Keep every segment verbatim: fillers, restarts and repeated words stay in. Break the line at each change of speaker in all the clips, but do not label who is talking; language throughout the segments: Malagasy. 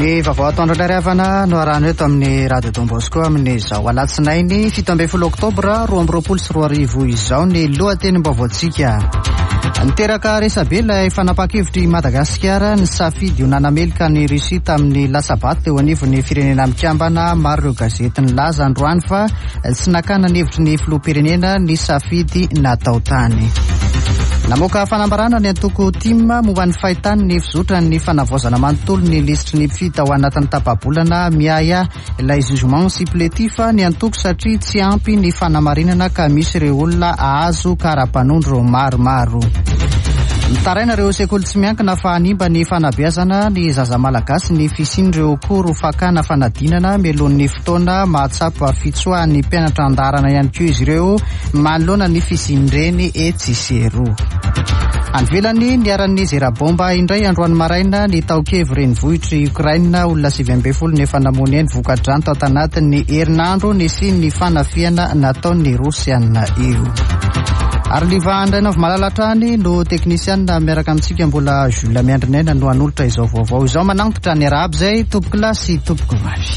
Ny vaovao atoandro indray havana no arahana eto amin'ny Radio Don Bosco amin'izao alatsinainy fito ambin'ny folo oktobra roa amby roapolo sy roa arivo izao ny lohatenim-baovaontsika. Niteraka resabe ilay fanapahan-kevitr'i Madagasikara ny safidy ho nanameloka ny Russie tamin'ny latsa-bato teo anivon'ny firenena mikambana. Maro ireo gazety nilaza androany fa tsy nakana ny hevitry ny filoham-pirenena ny safidy natao tany. Namoaka fanambarana ny antoko TIM momba ny fahitany ny fizotran'ny fanavaozana manontolo ny lisitry ny mpifidy ao anatin'ny tapa-bolana. Miahiahy ilay jugement supplétif ny antoko satria tsy ampy ny fanamarinana ka misy ireo olona ahazo kara-panondro maromaro. Mitaraina ireo sekoly tsy miankina fa hanimba ny fanabeazana ny zaza malagasy ny fisian'ireo koro fakana fanadinana mialohan'ny fotoana. Mahatsapa fitsoahan'ny mpianatra an-daharana ihany koa izy ireo manoloana ny fisian'ireny etsy sy eroa. Any ivelany, niharan'ny zera-bomba indray androany maraina ny tao Kiev renivohitr'i Ukraine. Olona sivy ambin'ny folo no efa namoy ny ainy voka-drano tao tanatin'ny herinandro nisian'ny fanafihana nataon'ny Rosiana io. Ary Liva Andrainavo Malala hatrany no teknisianina miaraka amintsika, mbola Jules Miandrinaina no hanolotra izao vaovao izao. Manantitra ny arahaba izay tompoko lahy sy tompoko vavy.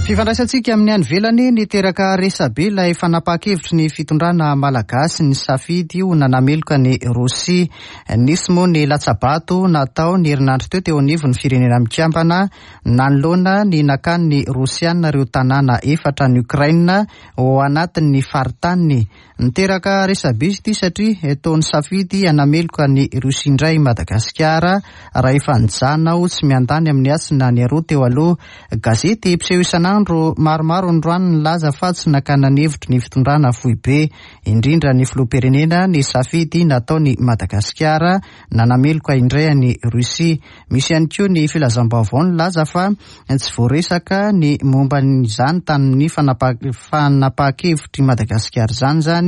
Fifandraisantsika amin'ny any ivelany, niteraka resabe ilay fanapahan-kevitry ny fitondrana malagasy ny safidy ho nanameloka ny Rosia. Nisy moa ny latsa-bato natao ny herinandro teo teo anivon'ny firenena mikambana nanoloana ny nakan'ny Rosiana ireo tanàna efatra any Ukraine ao anatin'ny faritaniny. Niteraka resabe izy ity satria toa nisafidy hanameloka ny Rosia indray Madagasikara raha efa nijanona ho tsy miandany amin'ny atsy na ny aroa teo aloha. Gazety mpiseho isan'andro maromaro androany nilaza fa tsy nakana ny hevitry ny fitondrana foibe, indrindra ny filoham-pirenena, ny safidy nataony Madagasikara nanameloka indray any Rosia. Misy ihany koa ny filazam-baovao nilaza fa tsy voaresaka ny momba izany tamin'ny fanapahan-kevitr'i Madagasikara izany zany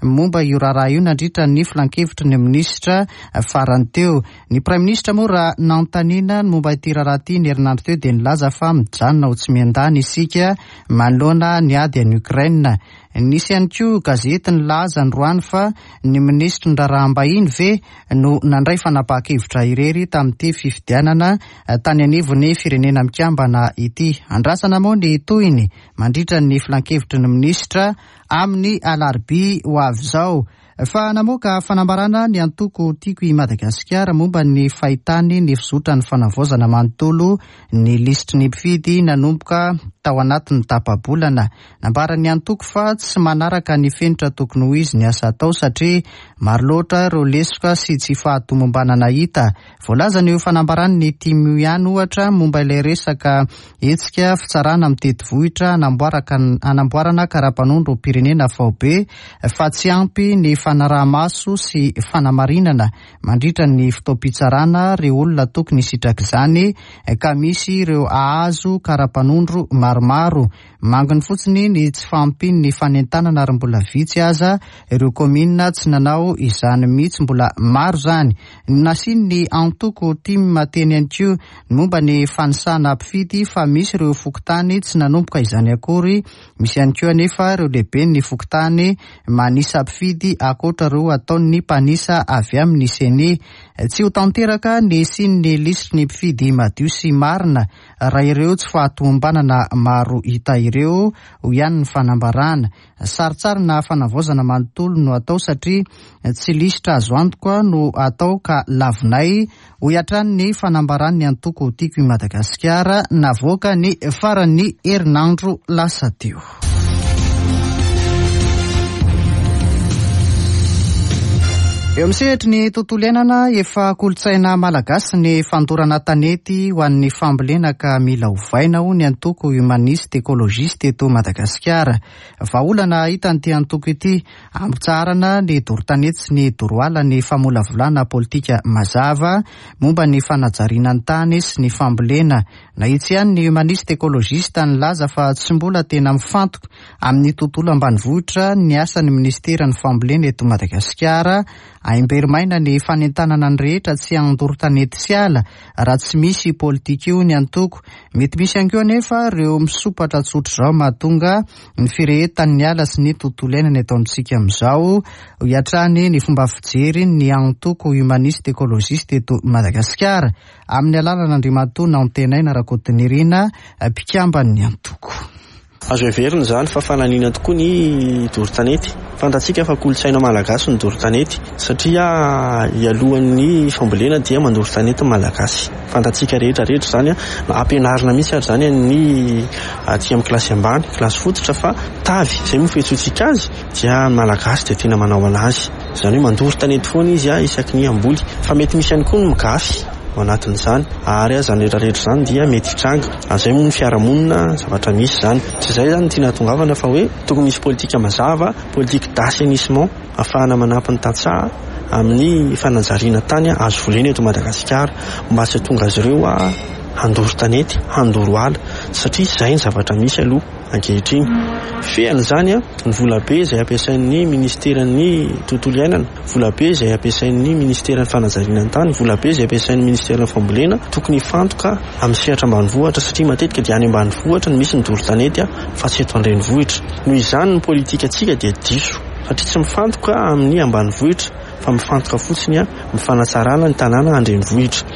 momba io raharaha io nandritra ny filankevitry ny minisitra farany teo. Ny praiminisitra moa raha nanontaniana ny momba ity raharaha ity ny herinandro teo dia nilaza fa mijanona ho tsy miandany isika manoloana ny ady any Ukraine. Nisy ihany koa gazety nilaza androany fa ny minisitry ny raharaham-bahiny ve no nandray fanapahan-kevitra irery tamin'ity fifidianana tany anivon'ny firenena mikambana ity. Andrasana moa ny tohiny mandritra ny filankevitry ny minisitra amin'ny alarobia ho avy izao. Fa namoaka fanambarana ny antoko Tiako i Madagasikara momba ny fahitany ny fizotran'ny fanavaozana manontolo ny lisitry ny mpifidy nanomboka tao anatin'ny tapa-bolana. Nambaran'ny antoko fa tsy manaraka ny fenitra tokony ho izy ny asa atao satria maro loatra ireo lesoka sy tsy fahatomombanana hita. Voalazan'io fanambaran'ny TIM ihany ohatra momba ilay resaka hetsika fitsarana mitety vohitra hanamboarana kara-panondrom-pirenena faobe fa tsy ampy ny fanaraha-maso sy fanamarinana mandritra ny fotoam-pitsarana ireo olona tokony hisitraka izany ka misy ireo ahazo kara-panondro maromaro. Manginy fotsiny ny tsy fahampian'ny fanentanana ary mbola vitsy aza ireo kaominina tsy nanao izany mihitsy, mbola maro izany. Nasian'ny antoko TIM teny ihany koa ny momba ny fanisana mpifidy fa misy ireo fokontany tsy nanomboka izany akory. Misy ihany koa anefa ireo lehiben'ny fokontany manisa mpifidy ankoatra ireo ataon'ny mpanisa avy amin'ny CENI. Tsy ho tanteraka ny hisian'ny lisitry ny mpifidy madio sy marina raha ireo tsy fahatomombanana maro hita ireo, ho ihany ny fanambarana. Sarintsarina fanavaozana manontolo no atao satria tsy lisitra azo antoka no atao ka lavinay, hoy hatrany ny fanambaran'ny antoko Tiako i Madagasikara navoaka ny faran'ny herinandro lasa teo. Eo amin'ny sehatry ny tontolo iainana, efa kolontsaina malagasy ny fandorana tanety ho an'ny fambolena ka mila ovaina ho ny antoko humaniste écologiste eto Madagasikara. Vahaolana hitan'ity antoko ity ampitsaharana ny doro tanety sy ny doro ala ny famolavolana politika mazava momba ny fanajariana ny tany sy ny fambolena. Nahitsy ihany ny humaniste écologiste nilaza fa tsy mbola tena mifantoka amin'ny tontolo ambanivohitra ny asan'ny ministeran'ny fambolena eto Madagasikara Aimbery-maina ny fanentanana ny rehetra tsy handoro tanety sy ala raha tsy misy politika io ny antoko. Mety misy ihany koa anefa ireo misopatra tsotra izao mahatonga ny firehetan'ny ala sy ny tontolo iainana eto amintsika amin'izao. Hoy hatrany ny fomba fijery ny antoko Humaniste Écologiste eto Madagasikara amin'ny alalan'Andriamatoa Nantenaina Rakotonirina, mpikamban'ny antoko.
Azo heverina izany fa fananina tokoa ny doro tanety. Fantatsika fa kolontsaina malagasy ny doro tanety satria ialohan'ny fambolena dia mandoro tanety ny malagasy. Fantatsika rehetra rehetra izany, na ampianarina mihitsy ary izany ny aty amin'ny kilasy ambany, kilasy fototra, fa tavy izay moa fiantsoantsika azy dia ny malagasy dia tena manao anazy. Izany hoe mandoro tanety foana izy isaky ny hamboly. Fa mety misy ihany koa ny migafy ao anatin'izany, ary izany rehetra rehetra izany dia mety hitranga. Izay moa ny fiarahamonina zavatra misy izany. Tsy izay izany no tiana hahatongavana fa hoe tokony misy politika mazava, politique d'assainissement ahafahana manampy ny tantsaha amin'ny fanajariana tany azo volena eto Madagasikara mba tsy hahatonga azy ireo handoro tanety, handoro ala, satria izay ny zavatra misy aloha ankehitriny. Fehan'izany ny volabe izay ampiasain'ny ministeran'ny tontolo iainana, volabe izay ampiasain'ny ministeran'ny fanajariana ny tany, volabe izay ampiasain'ny ministeran'ny fambolena, tokony hifantoka amin'ny sehatra ambanivohitra satria matetika dia any ambanivohitra no misy ny doro tanety fa tsy eto an-drenivohitra. Noho izany ny politikantsika dia diso satria tsy mifantoka amin'ny ambanivohitra fa mifantoka fotsiny amin'ny fanatsarana ny tanàna an-drenivohitra.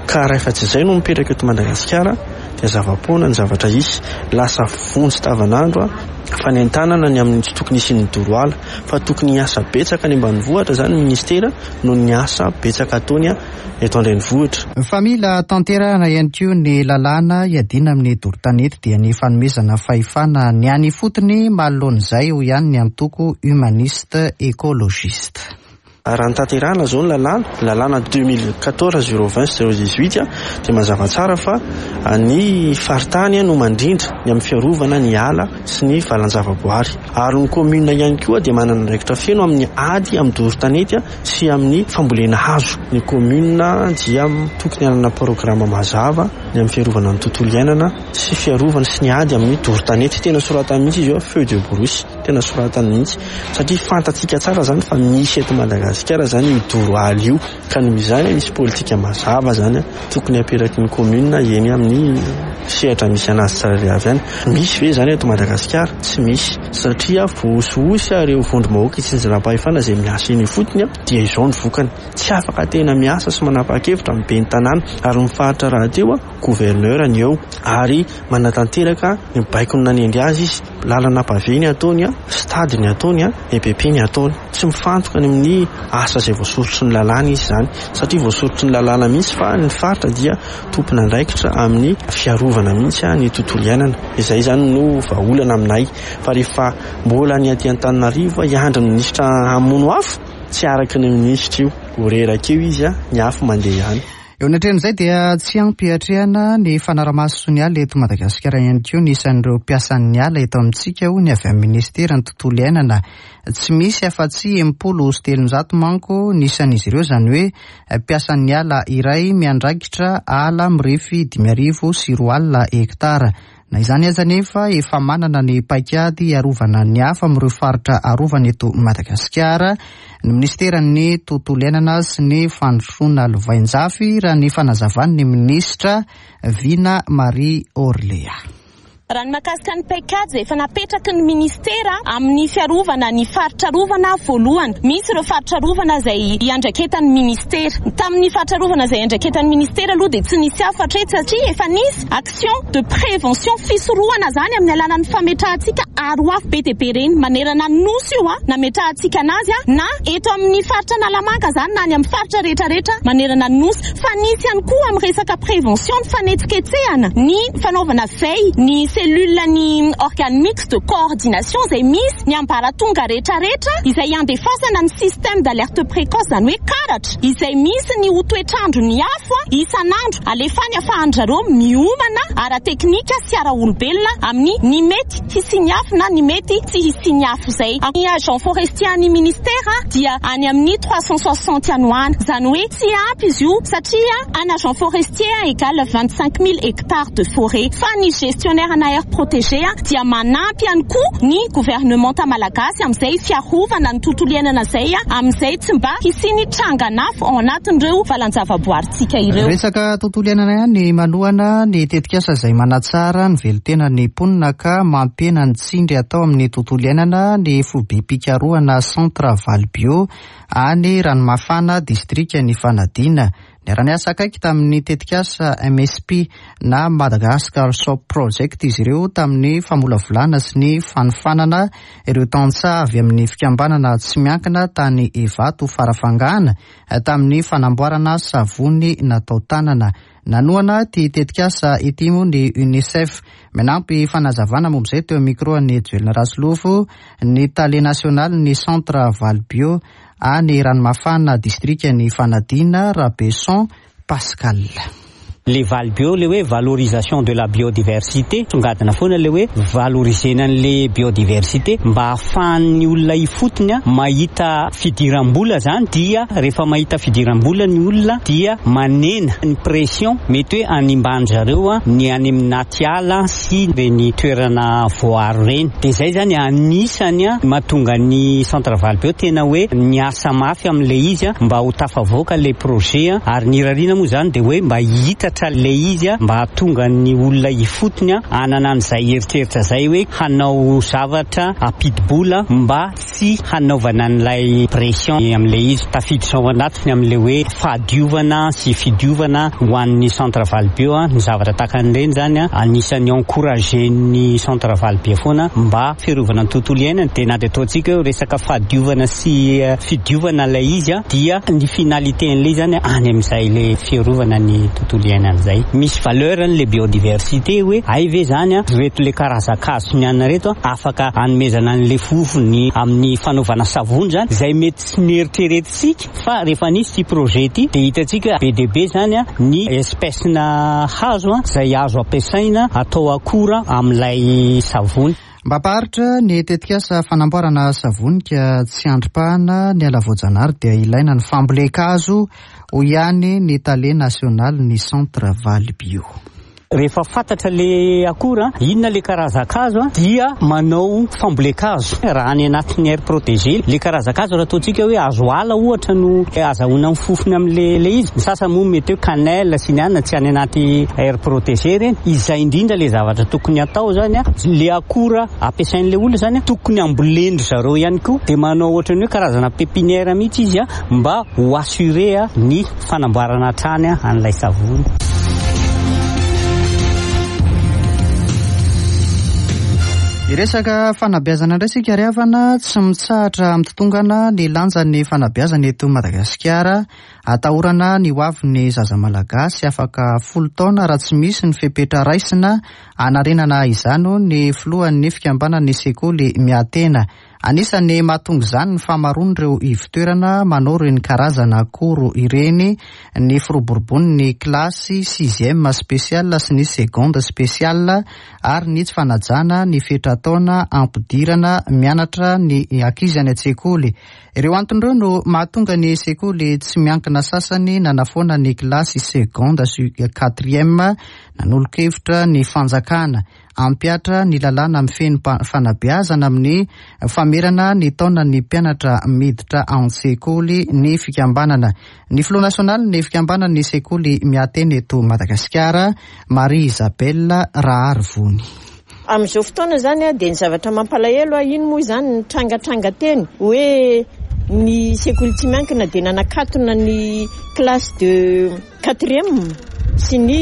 Ka raha efa tsy izay no mipetraka eto Madagasikara dia zava-poana ny zavatra hisy. Lasa vonjy tavanandro fanentanana ny amin'ny tsy tokony hisian'ny doro ala fa tokony hiasa betsaka any ambanivohitra izany ny ministera noho ny asa betsaka ataony eto an-drenivohitra.
Fa mila tanterahana ihany koa ny lalàna hiadiana amin'ny doro tanety dia ny fanomezana fahefana ny any ifotony manoloan'izay, hoy ihany ny antoko Humaniste Écologiste.
Raha ny tanterahana izao ny lalàna, lalàna deux mille quatorze zéro vingt zéro dix-huit dia mazava tsara fa ny faritany no mandrindra ny amin'ny fiarovana ny ala sy ny valan-javaboary. Ary ny commune ihany koa dia manana andraikitra feno amin'ny ady amin'ny doro tanety sy amin'ny fambolena hazo. Ny commune dia tokony hanana programme mazava ny amin'ny fiarovana ny tontolo iainana sy fiarovana sy ny ady amin'ny doro tanety. Tena soratany mihitsy izy io, feu de brousse, tena soratany mihitsy satria fantatsika tsara izany fa misy eto Madagasikara izany io doro ala io. Ka noho izany misy politika mazava izany tokony aperaky ny commune eny amin'ny sehatra misy anazy tsirairay avy any. Misy ve izany eto Madagasikara? Tsy misy satria voahosihosy ireo vondrom-bahoaka itsinjaram-pahefana izay miasa eny ifotony dia izao ny vokany. Tsy afaka tena miasa sy manapa-kevitra amin'ny ben'ny tanàna ary ny faritra rahateo gouverneur ny eo ary manatanteraka ny baikony nanendry azy izy. Lalana pavé ny ataony, stade ny ataony, E P P ny ataony. Tsy mifantoka any amin'ny asa izay voasoritry ny lalàna izy izany satria voasoritry ny lalàna mihitsy fa ny faritra dia tompon'andraikitra amin'ny fiarovana mihitsy ny tontolo iainana. Izay izany no vahaolana aminay. Fa rehefa mbola ny aty Antananarivo hiandry ny minisitra hamono afo, tsy araka ny minisitra io. Ho reraka eo izy, ny afo mandeha ihany.
Eo anatrehan'izay dia tsy ampy atrehana ny fanaramaso ny ala eto Madagasikara ihany koa ny isan'ireo mpiasan'ny ala eto amintsika, hoy ny avy amin'ny ministeran'ny tontolo iainana. Tsy misy afa-tsy enimpolo sy telonjato manko ny isan'izy ireo, izany hoe mpiasan'ny ala iray miandraikitra ala mirefy dimy arivo sy roa alina hektara. Na izany aza anefa efa manana ny paikady hiarovana ny hafa amin'ireo faritra arovana eto Madagasikara ny ministeran'ny tontolo iainana sy ny fandrosoana lovainjafy, raha ny fanazavan'ny minisitra Vina Marie Orléa.
Raha ny mahakasika ny paikady izay efa napetraky ny ministera amin'ny fiarovana ny faritra arovana voalohany, misy ireo faritra arovana izay iandraiketan'ny ministera. Tamin'ny faritra arovana izay iandraiketan'ny ministera aloha dia tsy nisy hafa hatreto satria efa nisy action de prévention fisorohana izany amin'ny alalan'ny fametrahantsika aro afo be dia be ireny manerana ny nosy io, nametrahantsika anazy na eto amin'ny faritra Analamanga izany na any amin'ny faritra rehetrarehetra manerana ny nosy. Fa nisy ihany koa amin'ny resaka prévention ny fanetsiketsehana ny fanaovana veille ny cellule ny organe mixte de coordination izay misy ny ambaratonga rehetrarehetra izay andefasana ny système d'alerte précoce, izany hoe karatra izay misy ny ho toetrandro ny afo isan'andro alefany ahafahan-dry zareo miomana ara-teknika sy ara-olombelona amin'ny ny mety hisian'ny afo afo na ny mety tsy hisian'ny afo izay. Ny agent forestier ny ministera dia any amin'ny trois cent soixante any ho any. Izany hoe tsy ampy izy io satria un agent forestier égale vingt-cinq mille hectares de forêt. Fa ny gestionnaire na aire protégée dia manampy ihany koa ny gouvernementa malagasy amin'izay fiarovana ny tontolo iainana izay, amin'izay tsy mba hisian'ny trangan'afo ao anatin'ireo valan-javaboarintsika ireo.
Resaka tontolo iainana ihany manohana ny tetikasa izay manatsara ny velontenan'ny mponina ka mampihena ny tsindry atao amin'ny tontolo iainana ny foibem-pikarohana Centre Valbio any Ranomafana, distrikan'i Fanadina. Niara-niasa akaiky tamin'ny tetikasa M S P na Madagascar Soap Project izy ireo tamin'ny famolavolana sy ny fanofanana ireo tantsaha avy amin'ny fikambanana tsy miankina tany Evato Farafangana tamin'ny fanamboarana savony natao tanana. Nanohana ity tetikasa ity moa ny UNICEF. Manampy fanazavana momba izay teo amin'ny micro an'i Joelina Rasolofo ny tale nasionaly ny Centre Valbio any Ranomafana, distrikan'i Fanadina, Rabeson Pascal.
Le Valbio, le hoe valorisation de la biodiversité, songadina foana le hoe valorisena an'le biodiversité mba ahafahan'ny olona ifotony mahita fidiram-bola zany, dia rehefa mahita fidiram-bola ny olona dia manena ny pression mety hoe animban-dry zareo ny any amin'ny ala sy ireny toerana voaro ireny. Dia izay zany anisany mahatonga ny Centre Valbio tena hoe niasa mafy amin'le izy mba ho tafavoaka le projet, ary ny irariana moa zany dia hoe mba hita le izy mba hahatonga ny olona ifotony hanana an'izay eritreritra izay hoe hanao zavatra ampidi-bola mba tsy hanaovana an'ilay pression amin'ilay izy. Tafiditra ao anatiny amin'ilay hoe fahadiovana sy fidiovana ho an'ny Centre Valbio ny zavatra tahaka an'ireny zany anisan'ny encourager-n'ny Centre Valbio foana mba fiarovana ny tontolo iainana. Dia na dia ataontsika hoe resaka fahadiovana sy fidiovana ilay izy dia ny finalité an'ilay zany any amin'izay ilay fiarovana ny tontolo iainana zay. Misy valeur an'le biodiversité hoe ay ve zany reto le karazan-kazo ny anina reto afaka hanomezana an'le fofony amin'ny fanaovana savony zany izay mety tsy nieritreretintsika, fa rehefa nisy ity projet ity dia hitantsika be dia be zany ny espèce-na hazo izay azo ampiasaina atao akora amin'ilay savony.
Mba hampaharitra ny tetikasa fanamboarana savony ka tsy andrim-pahana ny ala voajanahary dia ilaina ny fambolen-kazo, hoy ihany ny tale nasionaly ny Centre Valbio.
Rehefa fantatra le akora, inona le karazan-kazo, dia manao fambolen-kazo. Raha any anatin'ny aire protégée, le karazan-kazo raha ataontsika hoe hazo ala ohatra no azahoana ny fofony amin'le le izy. Ny sasany moa mety hoe cannelle sy ny anona tsy any anaty aire protégée ireny. Izay indrindra le zavatra tokony atao zany, le akora ampiasain'le olona zany tokony ambolen-dry zareo ihany koa, dia manao ohatran'ny hoe karazana pépinière mihitsy izy mba ho assurer ny fanamboarana hatrany an'ilay savony.
Iresaka fanabeazana indray isika ry havana, tsy mitsahatra mitotongana ny lanjan'ny fanabeazana eto Madagasikara. Atahorana ny ho avin'ny zaza malagasy afaka folo taona raha tsy misy ny fepetra raisina hanarenana izany, hoy ny filohan'ny fikambanan'ny sekoly miatena. Anisan'ny mahatonga izany ny famaroan'ireo ivon-toerana manao ireny karazana koro ireny, ny firoborobon'ny kilasy sixième spécial sy ny seconde spéciale ary ny tsy fanajana ny fetra-taona ampidirana mianatra ny ankizy any an-tsekoly. Ireo antony ireo no mahatonga ny sekoly tsy miankina sasany nanafoana ny kilasy seconde sy quatrième, nanolo-kevitra ny fanjakana ampihatra ny lalàna mifehy ny fanabeazana amin'ny famerana ny taonan'ny mpianatra miditra an-tsekoly ny fikambanana. Ny filoha nasionaly ny fikambanan'ny sekoly miatena eto Madagasikara, Marie Isabelle Raharivony.
Amin'izao fotoana zany dia ny zavatra mampalahelo, iny moa izany ny trangatranga teny hoe ny sekoly tsy miankina dia nanakatona ny classe de quatrième sy ny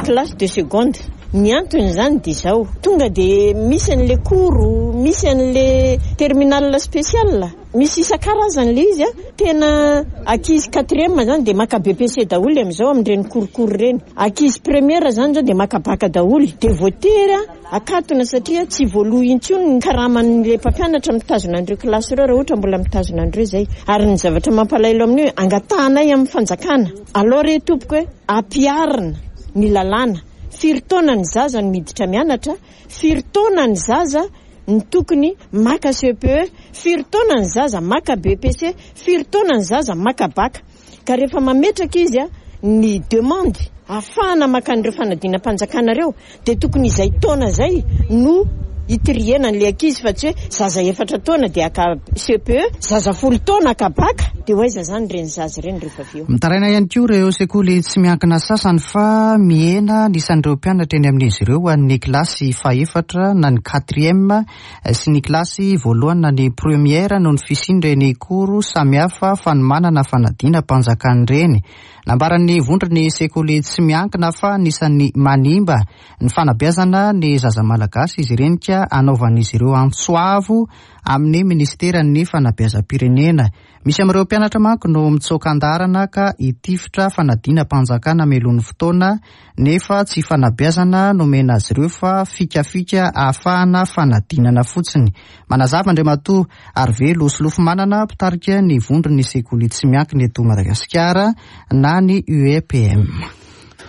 classe de seconde. Ny antony izany dia izao, tonga dia misy an'le cours, misy an'le terminale spéciale, misy isan-karazany le izy. Tena ankizy quatrième zany dia maka B P C daholo amin'izao amin'ireny cours-cours ireny. Ankizy première zany zao dia maka bac daholo, dia voatery akatona satria tsy voaloha intsony ny karaman'le mpampianatra mitazona an'ireo kilasy ireo raha ohatra mbola mitazona an'ireo izay. Ary ny zavatra mampalahelo amin'io, angatahanay amin'ny fanjakana alao re tompoko hoe ampiharina ny lalàna. Firy taona ny zaza no miditra mianatra, firy taona ny zaza ny tokony maka C E P E, firy taona ny zaza maka B E P C, firy taona ny zaza maka bac. Ka rehefa mametraka izy a ny demande ahafahana maka an'ireo fanadinam-panjakana reo, dia tokony izay taona zay no itriena n'le ankizy, fa tsy hoe zaza efatra taona dia aka C E P E, zaza folo taona aka bac. Dia ho aiza zany reny zaza ireny rehefa avy eo?
Mitaraina ihany koa ireo sekoly tsy miankina sasany fa mihena ny isan'ireo mpianatra eny amin'izy ireo ho an'ny kilasy fahefatra na ny quatrième sy ny kilasy voalohany na ny première, noho ny fisian'ireny cours samihafa fanomanana fanadinam-panjakana ireny. Nambaran'ny vondron'ny sekoly tsy miankina fa anisan'ny manimba ny fanabeazana ny zaza malagasy izy ireny, ka anaovan'izy ireo antso avo amin'ny ministeran'ny fanabeazam-pirenena. Misy amin'ireo mpianatra manko no mitsoaka an-dalana ka hitifitra fanadinam-panjakana mialohan'ny fotoana, nefa tsy fanabeazana nomena azy ireo fa fikafika ahafahana fanadinana fotsiny. Manazava Andriamatoa Arivelo Solofomanana, mpitarika ny vondron'ny sekoly tsy miankina eto Madagasikara na ny U E P M.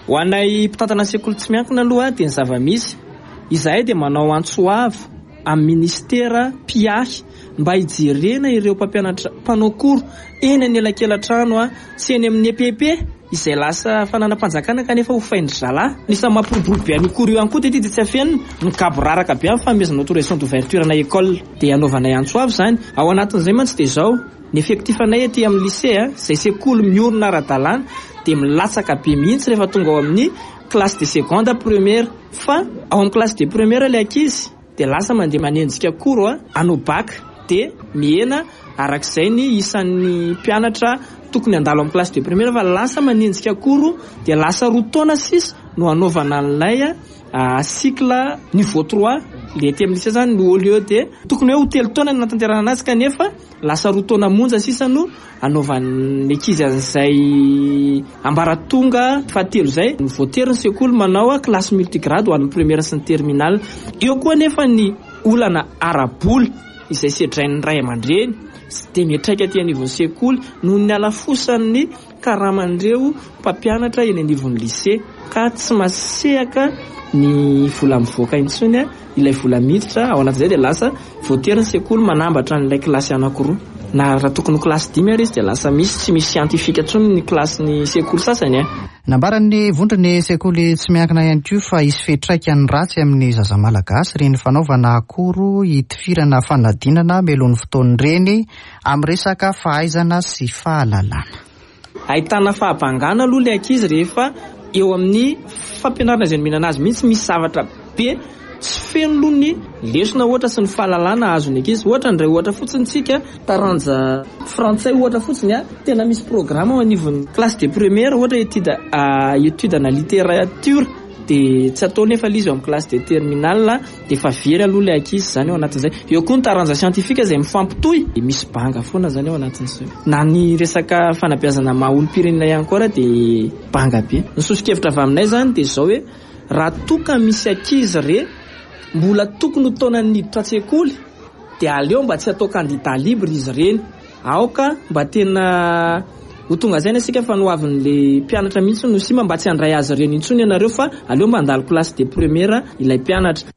Ho anay mpitantana sekoly tsy miankina aloha, dia ny zava-misy, izahay dia manao antso avo amin'ny ministera mpiahy mba hijerena ireo mpampianatra mpanao cours eny anelakelan-trano a sy eny amin'ny E P P izay lasa fananam-panjakana kanefa ho faindry zalahy. Nisy mampiroborobo be an'io cours io ihany koa dia ty tsy afenina ny gaboraraka be amin'ny fanomezana autorisation d'ouverture na école. Dia anaovanay antso avo zany ao anatin'izay mantsy. Dia zao ny effectif anay aty amin'ny lycée a izay sekoly miorina ara-dalàna, dia milatsaka be mihitsy rehefa tonga ao amin'ny classe de seconde première, fa ao amin'ny classe de première ilay ankizy dia lasa mandeha manenjika cours a anao bac, dia mihena arak'izay ny isan'ny mpianatra tokony andalo amin'ny classe de première, fa lasa manenjika cours. Dia lasa roa taona sisa no anaovana an'ilay a cycle niveau trois le aty amin'ny lycée zany no, au lieu de tokony hoe ho telo taona ny natanterahana anazy, kanefa lasa roa taona monja sisa no anaovan'ny ankizy an'izay ambaratonga fahatelo zay. Voatery ny sekoly manao a classe multigrade ho an'ny première sy ny terminale. Eo koa nefa ny olana ara-bola izay sedrain'ny ray aman-dreny sy de miatraika aty anivon'ny sekoly noho ny halafosan'ny karaman'ireo mpampianatra eny anivon'ny lycée, ka tsy masehaka ny vola mivoaka intsony a ilay vola miditra ao anatin'izay. Dia lasa voatery ny sekoly manambatra n'ilay kilasy anankiroa, na raha tokony ho kilasy dimy ary izy dia lasa misy tsy misy scientifique intsony ny kilasy ny sekoly sasany a.
Nambaran'ny vondron'ny sekoly tsy miankina ihany koa fa hisy fiantraikany ratsy amin'ny zaza malagasy reny fanaovana cours hitifirana fanadinana mialohan'ny fotoana ireny amin'ny resaka fahaizana sy fahalalana.
Ahitana fahabangana aloha le ankizy rehefa eo amin'ny fampianarana izay nomenana azy mihitsy. Misy zavatra be tsy feno aloha ny lesona ohatra sy ny fahalalana azony ankizy. Ohatra ndray, ohatra fotsiny tsika taranja frantsay ohatra fotsiny a, tena misy programme ao anivon'ny classe de première ohatra étude étude na littérature, de tsy atao nefa le izy eo amin'ny classe de terminale, de efa very aloha le ankizy zany eo anatin'izay. Eo koa ny taranja scientifique izay mifampitohy, de misy banga foana zany eo anatin'izay. Na ny resaka fanabeazana maha olom-pirenena ihany koa raha de banga be. Ny soso-kevitra avy aminay zany de zao hoe raha toka misy ankizy re mbola tokony ho taonany niditra an-tsekoly, de aleo mba tsy atao candidat libre izy ireny. Aoka mba tena ho tonga zay asika fa noavin'le mpianatra mihitsy no sima, mba tsy handray azy ireny intsony ianareo, fa aleo mba handalo classe de première ilay mpianatra.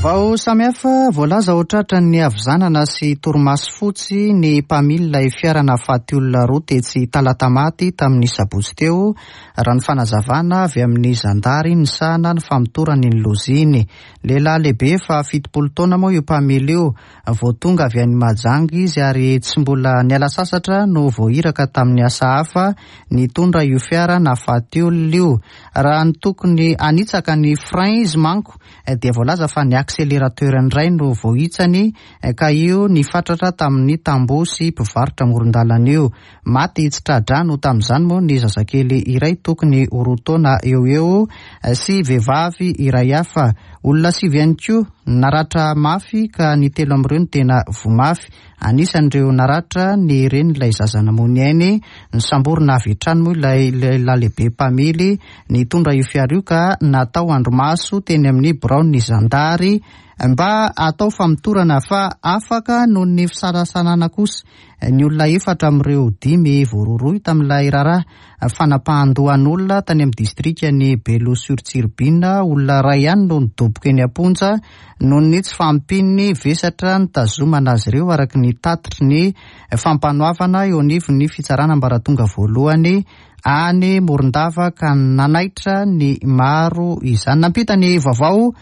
Vaovao samihafa. Voalaza ho tratra ny havizanana sy torimaso fotsy ny mpamily ilay fiara nahafaty olona roa tetsy Talatamaty tamin'ny sabotsy teo, raha ny fanazavana avy amin'ny zandary nisahana ny famotorana ny loza iny. Lehilahy lehibe fa fitopolo taona moa io mpamily io. Vao tonga avy any Mahajanga izy ary tsy mbola niala sasatra no voahiraka tamin'ny asa hafa nitondra io fiara nahafaty olona io. Raha ny tokony hanitsaka ny frein izy manko dia voalaza fa ny accélérateur indray no voahitsany, ka io nifatratra tamin'ny tamboho sy mpivarotra amoron-dalana io. Maty tsy tra-drano tamin'izany moa ny zazakely iray tokony ho roa taona eo eo sy vehivavy iray hafa. Olona sivy ihany koa naratra mafy, ka ny telo amin'ireo no tena voa mafy. Anisan'ireo naratra ny reny ilay zaza namoy ny ainy. Nisamborina avy hatrany moa ilay lehilahy lehibe mpamily nitondra io fiara io, ka natao andrimaso teny amin'ny biraon'ny zandary. mba atao famotorana fa afaka noho ny fisalasalana kosa ny olona efatra amin'ireo dimy voarohirohy tamin'ilay raharaha fanapahan-dohan'olona tany amin'ny distrikan'i Belo sur Tsiribihina. Olona iray ihany no nidoboka eny am-ponja noho ny tsy fahampian'ny vesatra nitazomana azy ireo, araka ny tatitry ny fampanoavana eo anivon'ny fitsarana ambaratonga voalohany any Morondava, ka nanaitra ny maro izany. Nampita ny vaovao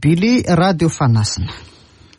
Billy Radio Fanasina.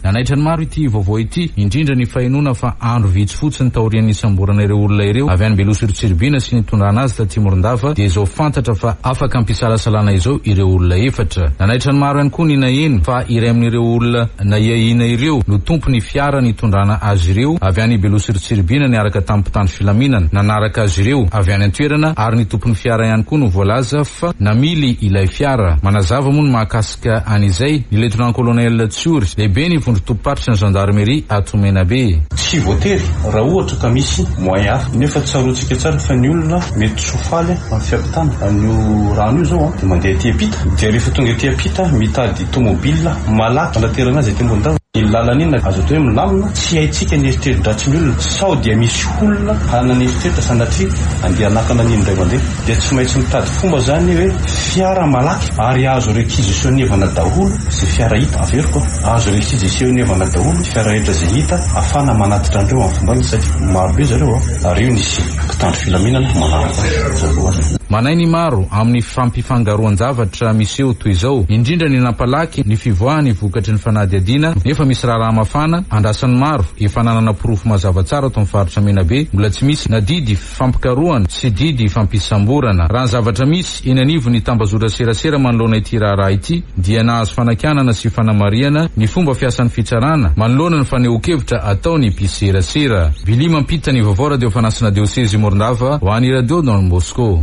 Nanaitra ny maro ity vaovao ity, indrindra ny fahenoana fa andro vitsy fotsiny taorian'ny nisamborana ireo olona ireo avy any Belo sur Tsiribihina sy nitondrana azy taty Morondava, dia izao fantatra fa afaka ampisalasalana izao ireo olona efatra. Nanaitra ny maro ihany koa ny naheno fa iray amin'ireo olona nahiahiana ireo no tompony fiara nitondrana azy ireo avy any Belo sur Tsiribihina niaraka tamin'ny mpitandro filaminana nanaraka azy ireo avy any an-toerana, ary ny tompony fiara ihany koa no voalaza fa namily ilay fiara. Manazava moa ny mahakasika an'izay ny lieutenant colonel Tsiory, lehibe ny vondron-tobim-paritry ny gendarmerie ato Menabe.
Tsy voatery raha ohatra ka misy moyen hafa, nefa tsaroantsika tsara fa ny olona mety tsy ho faly amin'ny fiampitana an'io rano io zao dia mandeha aty ampita, dia rehefa tonga aty ampita mitady tomobile malaky anaterana azy aty Morondava. Ny lalana iny azo atao hoe milamina, tsy haintsika ny eritreri-dratsy ny olona, sao dia misy olona hanana eritreritra sanatria andeha hanakana an'iny indray mandeha, dia tsy maintsy mitady fomba zany hoe fiara malaky ary azo réquisitionner-vana daholo izay fiara hita. Averiko, azo réquisitionner-vana daholo fiara rehetra izay hita ahafahana manatitra an'ireo amin'ny fomba iny, satria marobe zareo ary io nisy mpitandro filaminana manaraka azy.
Manay ny maro amin'ny fampifangaroan-javatra miseho toy izao, indrindra ny nampalaky ny fivoahany vokatry ny fanadihadiana, nefa misy raharaha mafana andrasan'ny maro efa nanana porofo mazava tsara ato amin'ny faritra Menabe, mbola tsy misy na didy fampikarohana sy didy fampisamborana. Raha ny zavatra misy eny anivon'ny tambazotra serasera manoloana ity raharaha ity dia nahazo fanakianana sy fanamarihana ny fomba fiasan'ny fitsarana manoloana ny fanehoan-kevitra ataony mpiserasera. Billy mampita ny vaovao Radio Fanasina Diocese Morondava ho an'ny Radio Don Bosco.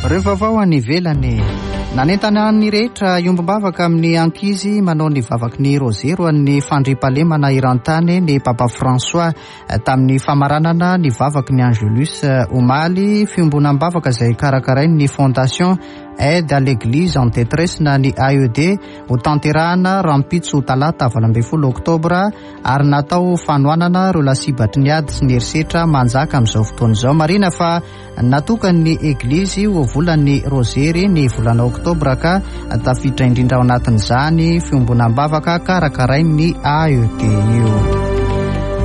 Ireo vaovao any ivelany. Nanentana ny rehetra hiombom-bavaka amin'ny ankizy manao ny vavaky ny Rozero an'ny fandriampahalemana eran-tany ny Papa François tamin'ny famaranana ny vavaky ny Angelus omaly, fiombonam-bavaka izay karakarain'ny Fondation Aide à l'Église en détresse na ny A E D ho tanterahana rahampitso talata valo ambin'ny folo oktobra, ary natao fanohanana ireo lasibatry ny ady sy ny herisetra manjaka amin'izao fotoana izao. Marina fa natokan'ny Eglizy ho volan'ny Rozery ny volana oktobra, ka tafiditra indrindra ao anatin'izany fiombonam-bavaka karakarain'ny A E D io.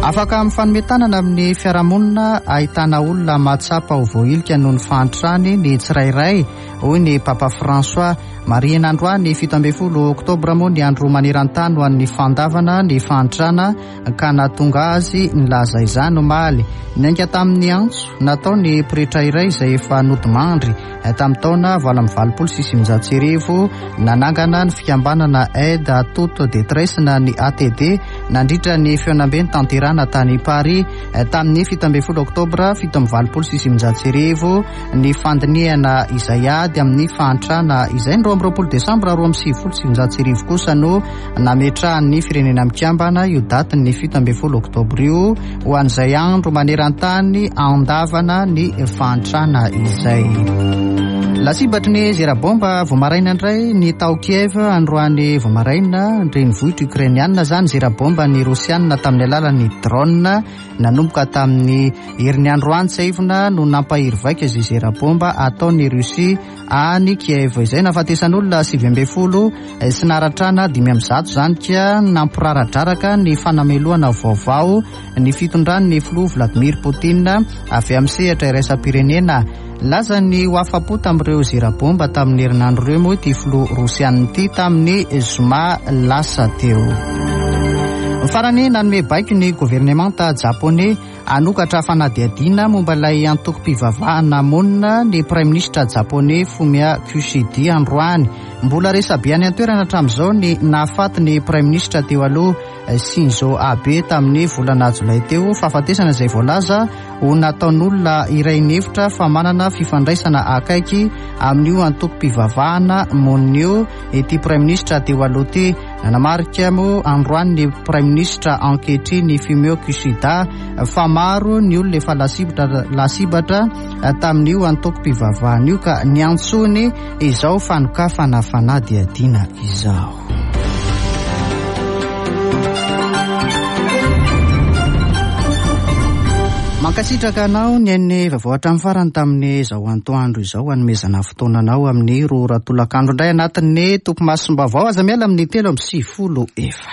Afaka mifanome tanana amin'ny fiarahamonina ahitana olona mahatsapa ho voahilika noho ny fahantrany ny tsirairay, hoy ny Papa François. Marihina androany fito ambin'ny folo oktobra moa ny andro maneran-tany ho an'ny fandavana ny fahantrana, ka nahatonga azy nilaza izany omaly. Niainga tamin'ny antso natao ny pretra iray izay efa nodimandry tamin'ny taona valo amby valopolo sy sivinjato sy arivo, nanangana ny fikambanana Aide à toute détresse na ny A T D nandritra ny fihaonambe nitanterahana tany Paris tamin'ny fito ambin'ny folo oktobra fito amby valopolo sy sivinjato sy arivo, ny fandinihana izay ady amin'ny fahantrana izay. Ny roa amby roapolo desambra roa amby sivifolo sy sivinjato sy arivo kosa no nametrahan'ny firenena mikambana io datin'ny fito ambin'ny folo oktobra io ho an'izay andro maneran-tany andavana ny fahantrana izay. Lasibatry ny zera-bomba vao maraina indray ny tao Kiev androany vao maraina, renivohitra ukrainiana zany. Zera-bomba ny rosianina tamin'ny alalan'ny drone nanomboka tamin'ny herin'ny androany tsiahivina no nampahery vaika izay zera-bomba ataon'ny Russie any Kiev izay nahafatesan'olona sivy ambin'ny folo sy naratrana dimy amby zato zany, ka nampiraradraraka ny fanamelohana vaovao ny fitondran'ny filoha Vladimir Poutine avy amin'ny sehatra iraisam-pirenena. Laza ny ho afa-po tamin'ireo zera-bomba tamin'ny herinandro ireo moa ity filoha rosianina ity tamin'ny zoma lasa teo. Farany, nanome baiko ny governemanta japoney hanokatra fanadihadiana momba ilay antokom-pivavahana monina ny praiminisitra japoney Fumio Kishida androany. Mbola resabe any an-toerana hatramin'izao ny nahafaty ny praiminisitra teo aloha Shinzo Abe tamin'ny volana jolay teo, fahafatesana izay voalaza ho nataon'olona iray nihevitra fa manana fifandraisana akaiky amin'io antokom-pivavahana monina io ity praiminisitra teo aloha ity. Nanamarika moa androany ny praiminisitra ankehitriny Fumio Kishida fa maro ny olona efa lasibatra lasibatra tamin'io antokom-pivavahana io, ka niantsony izao fanokafana fanadihadiana izao. Mankasitraka anao ny ain'ny vaovao hatramin'ny farany tamin'izao antoandro izao, hanomezana fotoana anao amin'ny roa ora tolakandro indray anatin'ny topimasom-baovao. Aza miala amin'ny telo amby sivifolo efatra.